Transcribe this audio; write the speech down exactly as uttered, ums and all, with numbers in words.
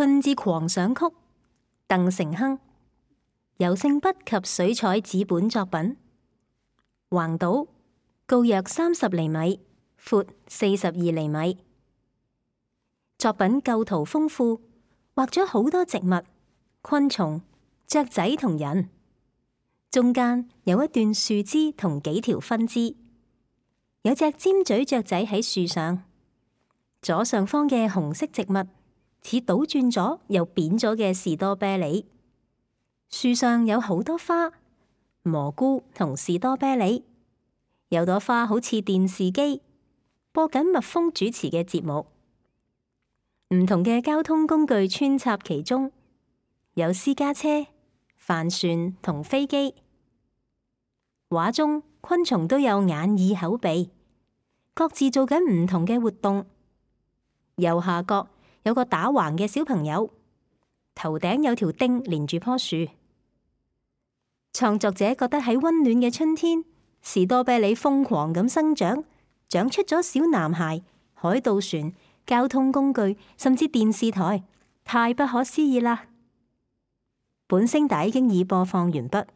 春之狂想曲》，鄧成亨。油性筆及水彩紙本作品。橫島，高約三十厘米，闊四十二厘米。作品構圖豐富，畫咗好多植物、昆蟲、雀仔同人，中間有一段樹枝同幾條分支，有隻尖嘴雀仔喺樹上。左上方嘅紅色植物似倒轉咗又扁咗嘅士多啤梨，樹上有好多花，蘑菇同士多啤梨，有朵花好似電視機，播緊蜜蜂主持嘅節目。唔同嘅交通工具穿插其中，有私家車、帆船同飛機。畫中昆蟲都有眼耳口鼻，各自做緊唔同嘅活動。右下角有個打橫嘅小朋友，頭頂有條釘連住棵樹。創作者覺得喺溫暖嘅春天，士多啤梨瘋狂咁生長，長出咗小男孩、海盜船、交通工具，甚至電視台，太不可思議啦！本聲帶經已播放完畢。